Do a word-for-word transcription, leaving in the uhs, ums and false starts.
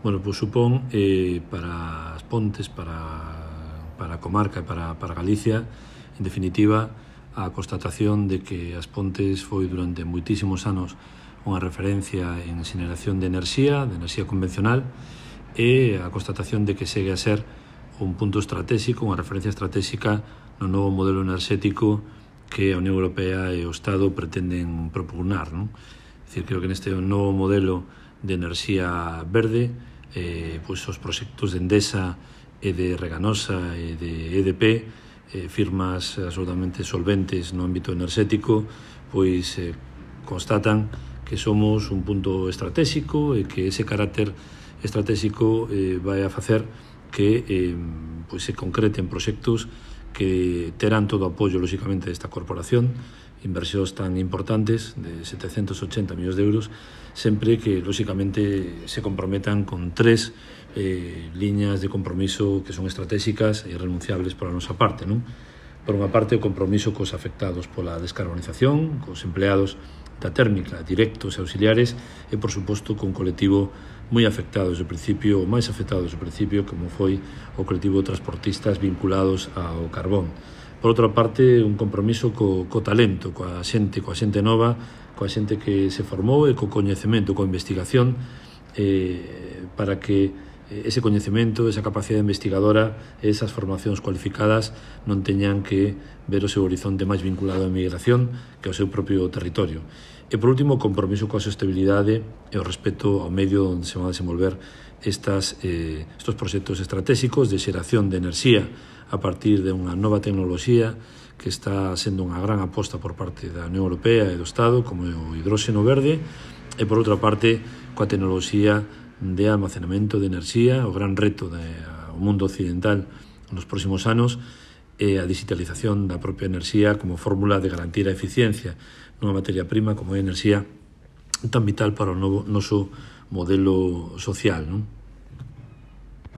Bueno, pois supón eh, para as Pontes, para, para a comarca e para, para Galicia, en definitiva, a constatación de que as Pontes foi durante moitísimos anos unha referencia en xeneración de enerxía, de enerxía convencional, e a constatación de que segue a ser un punto estratégico, unha referencia estratégica no novo modelo enerxético que a Unión Europea e o Estado pretenden propugnar, non? É dicir, creo que neste novo modelo de enerxía verde, eh, pois os proxectos de Endesa e de Reganosa e de E D P, eh, firmas absolutamente solventes no ámbito enerxético, pois eh, constatan que somos un punto estratégico e que ese carácter estratégico eh, vai a facer que eh, pois se concreten proxectos que terán todo o apoio, lóxicamente, desta corporación, inversións tan importantes de setecentos ochenta millóns de euros, sempre que, lóxicamente, se comprometan con tres eh, liñas de compromiso que son estratégicas e irrenunciables pola nosa parte, non? Por unha parte, o compromiso cos afectados pola descarbonización, cos empleados da térmica, directos e auxiliares, e, por suposto, con colectivo moi afectado desde o principio, ou máis afectado desde o principio, como foi o colectivo de transportistas vinculados ao carbón. Por outra parte, un compromiso co, co talento, coa xente, coa xente nova, coa xente que se formou e co coñecemento, coa investigación, eh, para que ese coñecemento, esa capacidade investigadora, esas formacións cualificadas non teñan que ver o seu horizonte máis vinculado á migración que ao seu propio territorio. E, por último, o compromiso coa sostenibilidade e o respeto ao medio onde se van a desenvolver estas, eh, estos proxectos estratégicos de xeración de enerxía a partir de unha nova tecnoloxía que está sendo unha gran aposta por parte da Unión Europea e do Estado, como o hidróxeno verde, e, por outra parte, coa tecnoloxía de almacenamento de enerxía, o gran reto do mundo occidental nos próximos anos, e a digitalización da propia enerxía como fórmula de garantir a eficiencia nunha materia prima como é a enerxía tan vital para o novo, noso modelo social, non?